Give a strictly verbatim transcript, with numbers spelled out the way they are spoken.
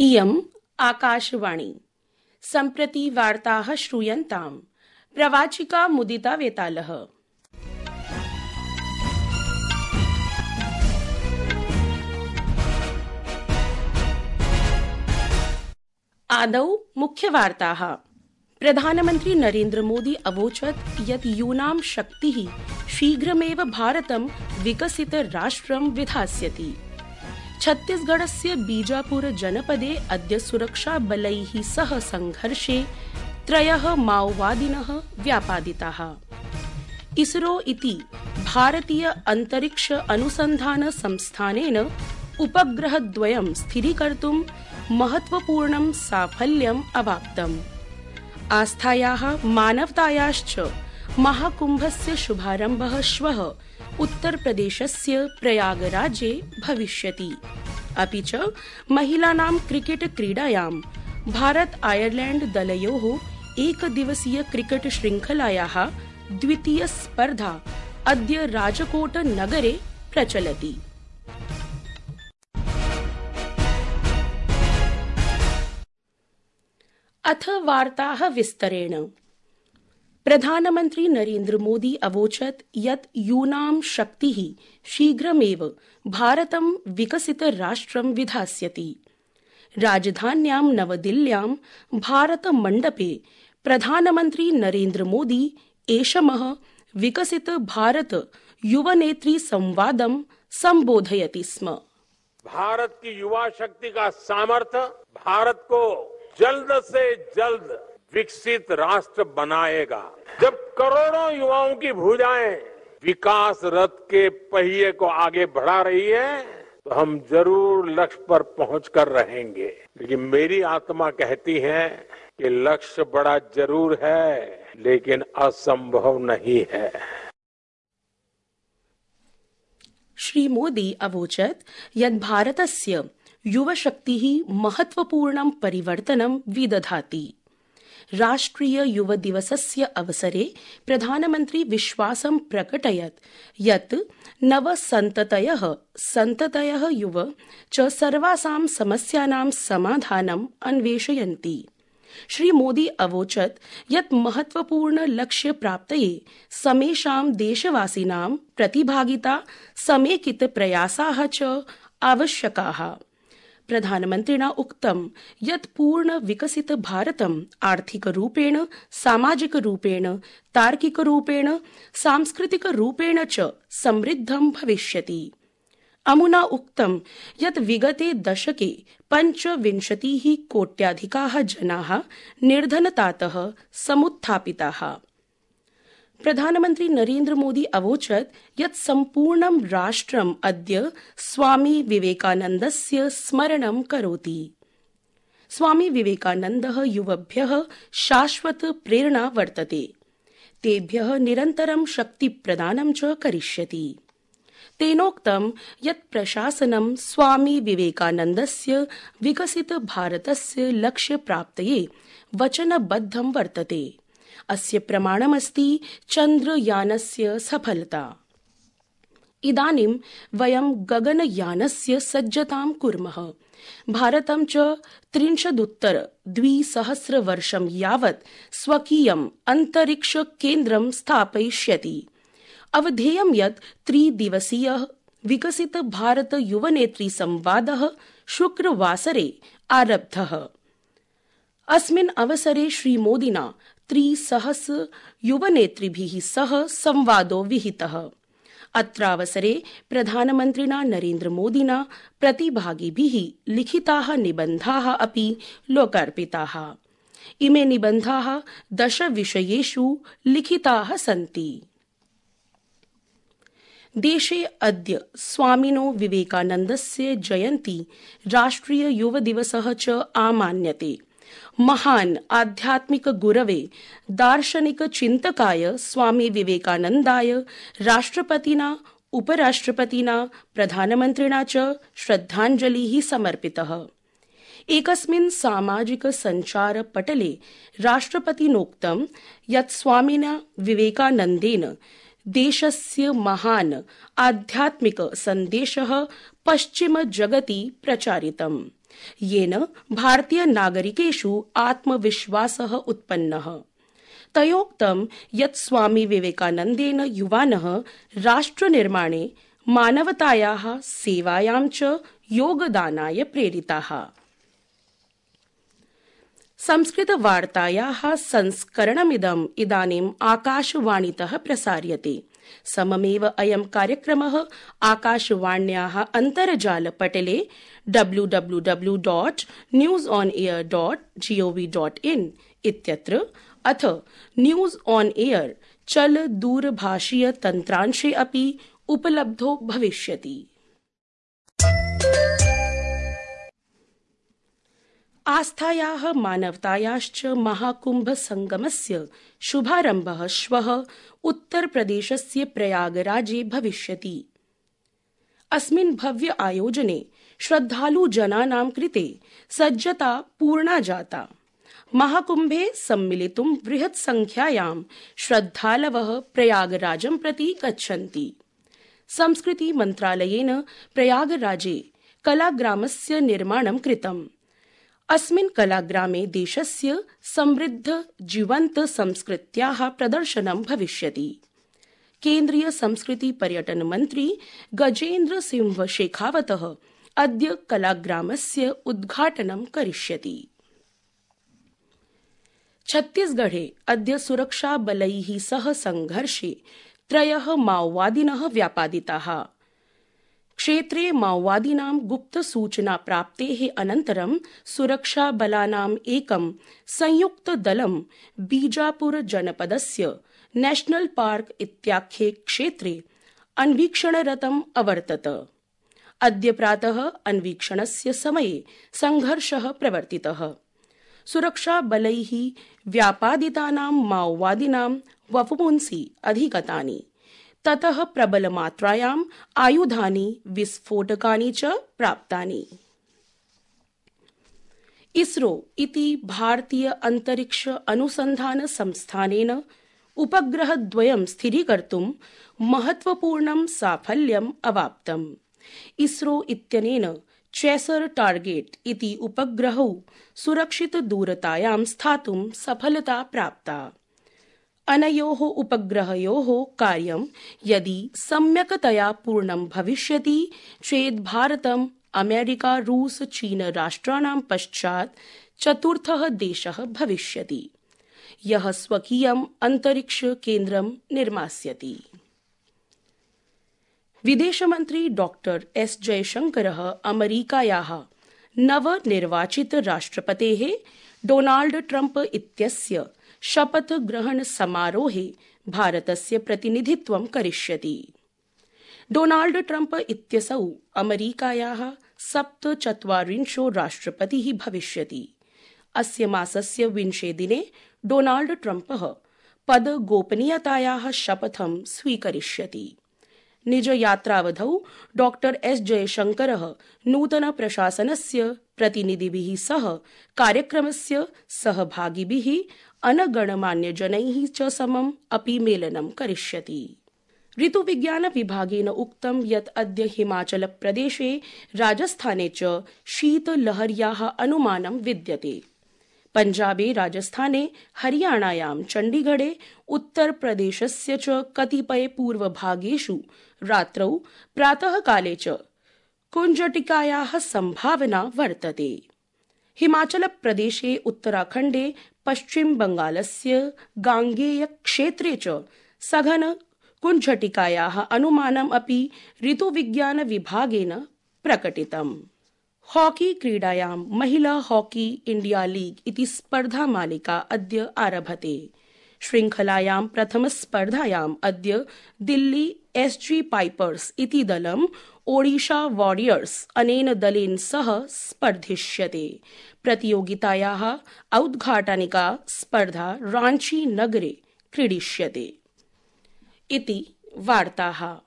इयम् आकाशवाणी। सम्प्रति वार्ताः श्रूयन्ताम्। प्रवाचिका मुदिता वेतालः। आदौ मुख्यवार्ताः। प्रधानमन्त्री नरेन्द्र मोदी अवोचत् यत् यूनां शक्तिः शीघ्रमेव भारतं विकसित राष्ट्रं विधास्यति। छत्तीसगढ़स्य बीजापुर जनपदे अद्य सुरक्षाबलैः सह संघर्षे त्रयः माओवादिनः व्यापादिताः। इसरो इति भारतीय अंतरिक्ष अनुसंधान संस्थानेन उपग्रहद्वयं स्थिरीकर्तुं महत्वपूर्णं साफल्यम् अवाप्तम्। आस्थायाः मानवतायाश्च महाकुम्भस्य शुभारम्भः श्वः उत्तरप्रदेशस्य प्रयागराजे भविष्यति। अपि च महिलानां क्रिकेट क्रीडायां भारत आयरलैंड दलयोः एकदिवसीय क्रिकेट श्रृंखलायाः द्वितीय स्पर्धा अद्य राजकोट नगरे प्रचलति। अथ वार्ताः विस्तरेण। प्रधानमन्त्री नरेन्द्र मोदी अवोचत् यत् यूनां शक्तिः शीघ्रमेव भारतं विकसित राष्ट्रं विधास्यति। राजधान्यां नवदिल्ल्यां भारत मण्डपे प्रधानमन्त्री नरेन्द्र मोदी ऐषमः विकसित भारत युवनेत्री संवादं संबोधयति स्म। भारत की युवा शक्ति का सामर्थ्य भारत को जल्द से जल्द विकसित राष्ट्र बनाएगा। जब करोड़ों युवाओं की भुजाएं विकास रथ के पहिए को आगे बढ़ा रही है, तो हम जरूर लक्ष्य पर पहुंचकर रहेंगे। लेकिन मेरी आत्मा कहती है कि लक्ष्य बड़ा जरूर है, लेकिन असंभव नहीं है। श्री मोदी अवोचत् यत् भारतस्य युवशक्तिः महत्वपूर्णं परिवर्तनं विदधाति। राष्ट्रिय युव दिवसस्य अवसरे प्रधानमन्त्री विश्वासं प्रकटयत् यत् नव सन्ततयः सन्ततयः युव च सर्वासां समस्यानां समाधानम् अन्वेषयन्ति। श्री मोदी अवोचत् यत् महत्वपूर्ण लक्ष्य प्राप्तये समेषां देशवासिनां प्रतिभागिता समेकित प्रयासाः च आवश्यकाः। प्रधानमन्त्रिणा उक्तं यत् पूर्ण विकसित भारतं आर्थिकरूपेण, सामाजिकरूपेण, तार्किकरूपेण, सांस्कृतिकरूपेण च समृद्धं भविष्यति। अमुना उक्तं यत् विगते दशके पञ्चविंशतिः कोट्याधिकाः जनाः निर्धनतातः समुत्थापिताः। प्रधानमन्त्री नरेन्द्र मोदी अवोचत् यत् सम्पूर्णं राष्ट्रम् अद्य स्वामी विवेकानन्दस्य स्मरणं करोति। स्वामी विवेकानन्दः युवभ्यः शाश्वत प्रेरणा वर्तते। तेभ्यः निरन्तरं शक्तिप्रदानं च करिष्यति। तेनोक्तं यत् प्रशासनं स्वामी विवेकानन्दस्य विकसित भारतस्य लक्ष्यप्राप्तये वचनबद्धं वर्तते। अस्य प्रमाणमस्ति चन्द्रयानस्य सफलता। इदानीं वयं गगनयानस्य सज्जतां कुर्मः। भारतं च त्रिंशदुत्तर द्विसहस्रवर्षं यावत् स्वकीयम् अन्तरिक्ष केन्द्रं स्थापयिष्यति। अवधेयं यत् त्रिदिवसीयः विकसित भारत युवनेत्री संवादः शुक्रवासरे आरब्धः। अस्मिन् अवसरे श्रीमोदिना त्रिसहस्र युवनेत्रिभिः सह संवादो विहितः। अत्रावसरे प्रधानमन्त्रिणा नरेन्द्र मोदिना प्रतिभागिभिः लिखिताः निबन्धाः अपि लोकार्पिताः। इमे निबन्धाः दश विषयेषु लिखिताः सन्ति। देशे अद्य स्वामिनो विवेकानन्दस्य जयन्ती राष्ट्रिय युव दिवसः च आमान्यते। महान् आध्यात्मिक गुरवे दार्शनिक चिन्तकाय स्वामी विवेकानन्दाय राष्ट्रपतिना, उपराष्ट्रपतिना, प्रधानमन्त्रिणा च श्रद्धाञ्जलिः समर्पितः। एकस्मिन् सामाजिक सञ्चार पटले राष्ट्रपतिनोक्तं यत् स्वामिना विवेकानन्देन देशस्य महान् आध्यात्मिक सन्देशः पश्चिम जगति प्रचारितम्। येन भारतीय नागरिकेषु आत्मविश्वासः उत्पन्नः। तयोक्तं यत् स्वामी विवेकानन्देन युवानः राष्ट्रनिर्माणे मानवतायाः सेवायां च योगदानाय प्रेरिताः। संस्कृतवार्तायाः संस्करणमिदम् इदानीम् आकाशवाणीतः प्रसार्यते। सममेव अयं कार्यक्रमः आकाशवाण्याः अन्तर्जालपटले W W W dot news on AIR dot G O V dot in इत्यत्र अथ न्यूज़ ऑन एयर चल दूरभाषीय तन्त्रांशे अपि उपलब्धो भविष्यति। आस्थायाः मानवतायाश्च महाकुंभ संगमस्य शुभारम्भः श्वः उत्तरप्रदेशस्य प्रयागराजे भविष्यति। अस्मिन् भव्य आयोजने श्रद्धालुजनानां कृते सज्जता पूर्णा जाता। महाकुंभे सम्मिलितुं बृहत् संख्यायां श्रद्धालवः प्रयागराजं प्रति गच्छन्ति। संस्कृति मन्त्रालयेन प्रयागराजे कलाग्रामस्य निर्माणं कृतम्। अस्मिन् कलाग्रामे देशस्य समृद्ध जीवन्त संस्कृत्याः प्रदर्शनं भविष्यति। केन्द्रीय संस्कृति पर्यटन मन्त्री गजेन्द्र सिंह शेखावतः अद्य कलाग्रामस्य उद्घाटनं करिष्यति। छत्तीसगढ़े अद्य सुरक्षाबलैः सह संघर्षे त्रयः माओवादिनः व्यापादिताः। क्षेत्रे माओवादिनां गुप्तसूचना प्राप्तेः अनन्तरं सुरक्षाबलानाम् एकं संयुक्तदलं बीजापुर जनपदस्य नेशनल पार्क इत्याख्ये क्षेत्रे अन्वीक्षणरतम् अवर्तत। अद्य प्रातः अन्वीक्षणस्य समये संघर्षः प्रवर्तितः। सुरक्षाबलैः व्यापादितानां माओवादिनां वपुंसि अधिगतानि। ततः प्रबलमात्रायाम् आयुधानि विस्फोटकानि च प्राप्तानि। इसरो इति भारतीय अंतरिक्ष अनुसंधान संस्थानेन उपग्रहद्वयं स्थिरीकर्तुं महत्वपूर्णं साफल्यम् अवाप्तम्। इसरो इत्यनेन चेसर टार्गेट इति उपग्रहौ सुरक्षितदूरतायां स्थातुं सफलता प्राप्ता। अनयोः उपग्रहयोः कार्यं यदि सम्यक्तया पूर्णं भविष्यति चेत् भारतम् अमेरिका रूस चीन राष्ट्राणां पश्चात् चतुर्थः देशः भविष्यति यः स्वकीयम् अंतरिक्ष केन्द्रं निर्मास्यति। विदेशमन्त्री डॉक्टर एस जयशंकरः अमेरिकायाः नवनिर्वाचित राष्ट्रपतेः डोनाल्ड ट्रम्प इत्यस्य शपथ ग्रहण समारोहे भारतस्य प्रतिनिधित्वं करिष्यति। डोनाल्ड ट्रम्प इत्यसौ अमेरिकायाः सप्तचत्वारिंशो राष्ट्रपतिः भविष्यति। अस्य मासस्य विंशे दिने डोनाल्ड ट्रम्पः पद गोपनीयतायाः शपथं स्वीकरिष्यति। निजयात्रावधौ डॉक्टर एस जयशंकरः नूतन प्रशासनस्य प्रतिनिधिभिः सह कार्यक्रमस्य सहभागिभिः अनगणमान्यजनैः च समम् अपि मेलनं करिष्यति। ऋतुविज्ञान विभागेन उक्तं यत् अद्य हिमाचल प्रदेशे राजस्थाने च शीतलहर्याः अनुमानं विद्यते। पंजाबे राजस्थाने हरियाणायां चण्डीगढे उत्तरप्रदेशस्य च कतिपय पूर्वभागेषु रात्रौ प्रातःकाले च कुञ्जटिकायाः संभावना वर्तते। हिमाचल प्रदेशे उत्तराखण्डे पश्चिम बंगालस्य गांगेय क्षेत्रे च सघन कुञ्जटिकायाः अनुमानम् अपि ऋतुविज्ञान विभागेन प्रकटितम्। हॉकी क्रीडायां महिला हॉकी इंडिया लीग इति स्पर्धा मालिका अद्य आरभते। श्रृंखलायां प्रथमस्पर्धायाम् अद्य दिल्ली एसजी पाइपर्स इति दलम् ओडिशा वॉरियर्स अनेन दलेन सह स्पर्धिष्यते। प्रतियोगितायाः औद्घाटनिका स्पर्धा रांची नगरे क्रीडिष्यते। इति वार्ताः।